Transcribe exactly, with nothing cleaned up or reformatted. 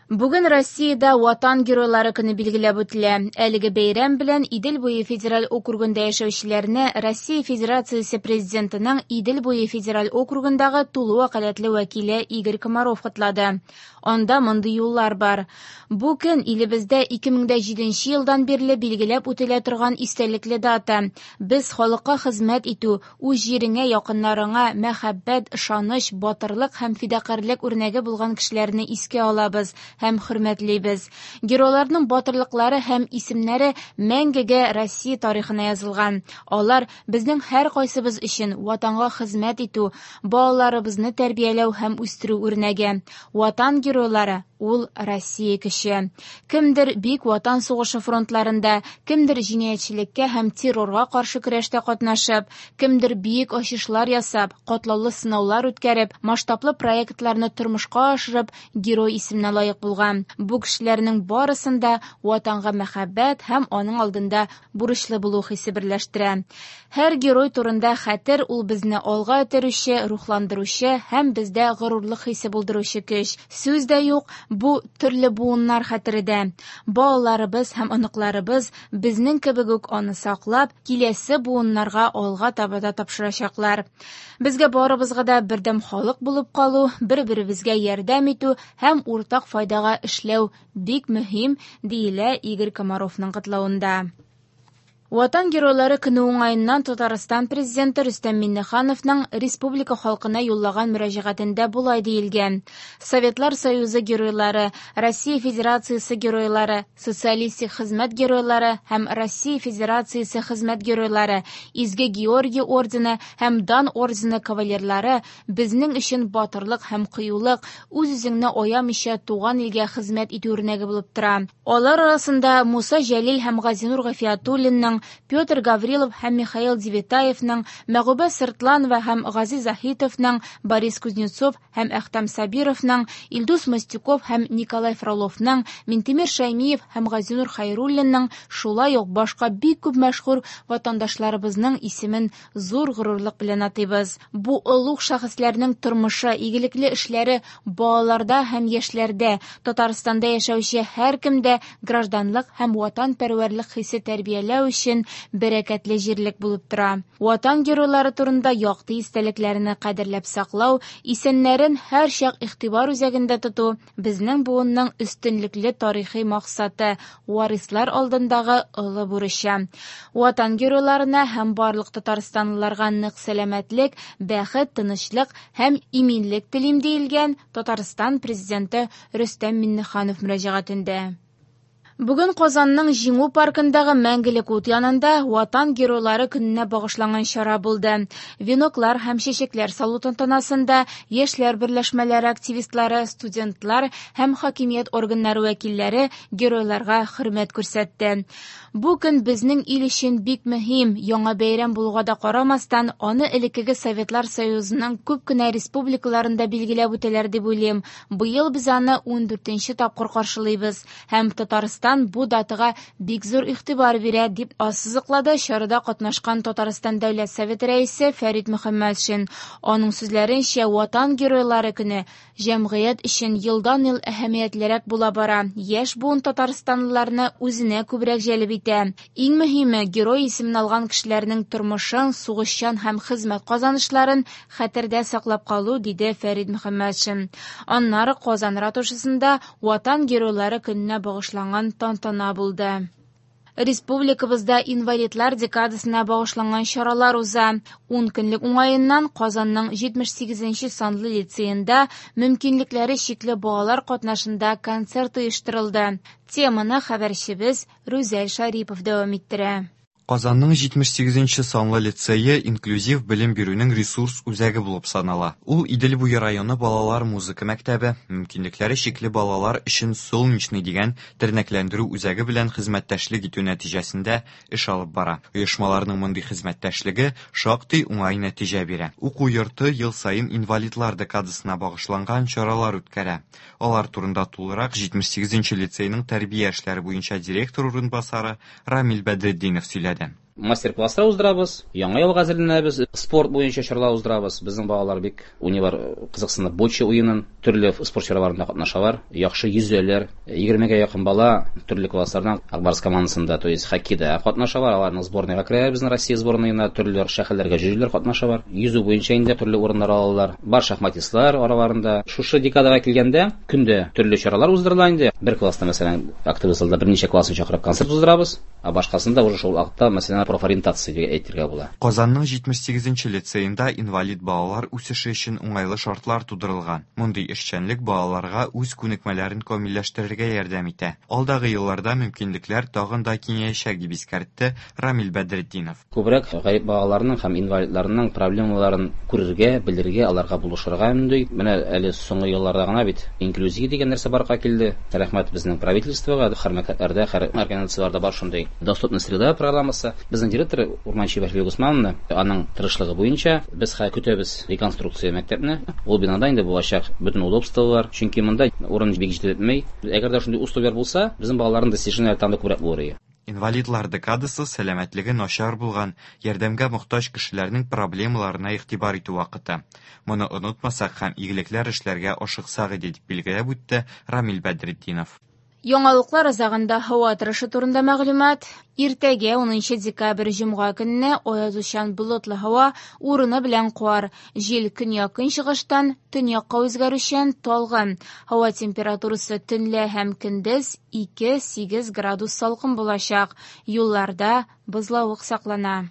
Бүген Россиядә Ватан геройлары көне билгеләп үтелә. Әлеге бәйрәм белән Идел буе федераль округында яшәүчеләрне Россия Федерациясе Президентының Идел буе федераль округындагы тулы вәкаләтле вәкиле Игорь Комаров котлады. Анда мондый юллар бар. Бу көн илебездә ике мең дә җиденче елдан бирле билгеләп үтелә торган истәлекле дата. Без халыкка хезмәт итү, үз җиреңә, якыннарыңа мәхәббәт, ышаныч, батырлык һәм фидакарьлек үрнәге булган кешеләрне искә алабыз һәм хөрмәтлибез. Геройларның батырлыклары һәм исемнәре мәңгегә Россия тарихына язылган. Алар безнең һәр кайсыбыз өчен ватанга хезмәт итү, балаларыбызны тәрбияләү һәм үстерү үрнәге. Ватан геройлары ул Россия көче. Кемдер бик Ватан сугышы фронтларында, кемдер җинаятьчелеккә һәм террорга каршы көрәштә катнашып, кемдер бөек ачышлар ясап, катлаулы сынаулар үткәреп, масштаблы проектларны тормышка ашырып, герой исеменә лаек булган. Бу кешеләрнең барысын да ватанга мәхәббәт һәм аның алдында бурычлы булу хисе берләштерә. Һәр герой турында хәтер ул безне алга этәрүче, рухландыручы һәм бездә горурлык хисе булдыручы көч. Сүз дә юк, бу төрле буыннар хәтере дә. Балаларыбыз һәм оныкларыбыз безнең кебек үк аны саклап, киләсе буыннарга алга таба да тапшырачаклар. Безгә барыбызга да бердәм халык булып калу, бер-беребезгә ярдәм итү һәм уртак файдага эшләү бик мөһим, диелә Игорь Комаровның котлавында. Ватан геройлары көне уңаеннан Татарстан президенты Рөстәм Миңнехановның республика халкына юллаган мөрәҗәгатендә болай диелгән: Советлар Союзы геройлары, Россия Федерациясе геройлары, социалистик хезмәт геройлары һәм Россия Федерациясе хезмәт геройлары, Изге Георгий ордены һәм Дан ордены кавалерлары безнең өчен батырлык һәм кыюлык, үз-үзеңне аямыйча туган илгә хезмәт итү үрнәге булып тора. Алар арасында Муса Җәлил һәм Газинур Гафиятуллинның, Петр Гаврилов һәм Михаил Девятаевның, Мәгүбә Сыртланова һәм Гази Заһитовның, Борис Кузнецов һәм Әхтәм Сабировның, Илдус Мостюков һәм Николай Фроловның, Минтимер Шәймиев һәм Газинур Хәйруллинның, шулай ук башка бик күп мәшһүр ватандашларыбызның исемен зур горурлык белән атыйбыз. Бу олуг шәхесләрнең тормышы, игелекле эшләре балаларда һәм яшьләрдә, Татарстанда яшәүче һәркемдә гражданлык һәм ватанпәрвәрлек хисе тәрбияләү өчен бәрәкәтле җирлек булып тора. Ватан геройлары турында якты истәлекләрне кадерләп саклау, исәннәрен һәрчак игътибар үзәгендә тоту безнең буынның өстенлекле тарихи максаты, варислар алдындагы олы бурычы. Ватан геройларына һәм барлык татарстанлыларга нык сәламәтлек, бәхет, тынычлык һәм иминлек телим, диелгән Татарстан президенты Рөстәм Миңнеханов мөрәҗәгатендә. Бүген Казанның Җиңү паркындагы Мәңгелек ут янында Ватан геройлары көненә багышланган чара булды. Веноклар һәм чәчәкләр салу тантанасында яшьләр берләшмәләре активистлары, студентлар һәм хакимият органнары вәкилләре геройларга хөрмәт күрсәтте. Бу көн безнең ил өчен бик мөһим, яңа бәйрәм булуга да карамастан, аны элеккеге Советлар Союзының күп кенә республикаларында билгеләп үтәләр дип уйлыйм. Быел без аны ун дүртенче тапкыр каршылыйбыз һәм Татарстан бу датага бик зур игътибар бирә, дип ассызыклады чарада катнашкан Татарстан Дәүләт Советы рәисе Фәрит Мөхәммәтшин. Аның сүзләренчә, Ватан геройлары көне җәмгыять өчен елдан-ел әһәмиятлерәк була бара. Яшь буын татарстанлыларны үзенә күбрәк җәлеп итә. Иң мөһиме, герой исемен алган кешеләрнең тормышын, сугышчан һәм хезмәт казанышларын хәтердә саклап калу, диде Фәрит Мөхәммәтшин. Аннары Казан ратушасында Ватан геройлары көненә багышланган тантана булды. Республикабызда инвалидлар декадасына багышланган чаралар уза. Ун көнлек уңаеннан Казанның җитмеш сигезенче санлы лицеенда мөмкинлекләре чикле балалар катнашында концерт оештырылды. Теманы хәбәрчебез Рүзәл Шарипов дәвам иттерә. Казанның җитмеш сигезенче санлы лицее инклюзив белем бирүнең ресурс үзәге булып санала. Ул Идел буе районы балалар музыка мәктәбе, мөмкинлекләре чикле балалар өчен Солнечный дигән тернәкләндерү үзәге белән хезмәттәшлек итү нәтиҗәсендә эш алып бара. Оешмаларның мондый хезмәттәшлеге шактый уңай нәтиҗә бирә. Уку йорты ел саен инвалидлар декадасына багышланган чаралар үткәрә. Алар турында тулырак җитмеш сигезенче лицейның тәрбия эшләре буенча директор урынбасары Рамил Бәдретдинов сөйләде. Мастер-класслар уздырабыз, яңа елга әзерләнәбез, спорт буенча чаралар уздырабыз. Безнең балалар бик уйныйлар, кызыксынып бочча уенын, төрле спорт чараларында катнашалар, яхшы йөзәләр. Егермегә якын бала төрле класслардан Ак Барс командасында, то есть хоккейда катнашалар, аларның сборныйга керә, безнең Россия сборныйына төрле шәһәрләргә йөриләр, катнашалар. Йөзү буенча инде төрле урыннар алалар. Бар шахматистлар араларында. Шушы декадага килгәндә көндә төрле чаралар уздырыла инде. Бер класста, мәсәлән, актовый залда берничә классын чакырып концерт уздырабыз, ә башкасында уже шул вакытта, мәсәлән, профориентация дип әйтергә була. Казанның җитмеш сигезенче лицеенда инвалид балалар үсеше өчен уңайлы шартлар тудырылган. Мондый эшчәнлек балаларга үз күнекмәләрен камилләштерергә ярдәм итә. Алдагы елларда мөмкинлекләр тагын да киңәячәк, дип искәртте Рамил Бәдретдинов. Күбрәк гарип балаларның һәм инвалидларның проблемаларын күрергә, белергә, аларга булышырга мөмкин. Менә әле соңгы елларда гына бит инклюзия дигән нәрсә барлыкка килде. Рәхмәт безнең правительствога, һәр мәктәпләрдә, һәр организацияләрдә бар шундый доступная среда программасы. Безнең директор Урманчиева Әлфия Госмановна, аның тырышлыгы буенча без хәзер көтәбез реконструкция мәктәпне. Ул бинада инде булачак бөтен удобстволар, чөнки монда урын бик җитеп бетмей. Әгәр дә шундый условияләр булса, безнең балаларның достижениеләре тагын да күбрәк булыр иде. Инвалидлар декадасы сәламәтлеге начар булган, ярдәмгә мохтаҗ кешеләрнең проблемаларына игътибар итү вакыты. Моны онытмасак һәм игелекләр эшләргә ашыксак иде, дип билгеләп үтте Рамил Бәдретдинов. Яңалыклар азагында һава торышы турында мәгълүмат. Иртәгә унынчы декабрь җомга көнне аязучан болытлы һава урыны белән кар. Җил көньяк-көнчыгыштан төньякка үзгәрүчән талгын. Һава температурасы төнлә һәм көндез ике-сигез градус салкын булачак. Юлларда бозлавык саклана.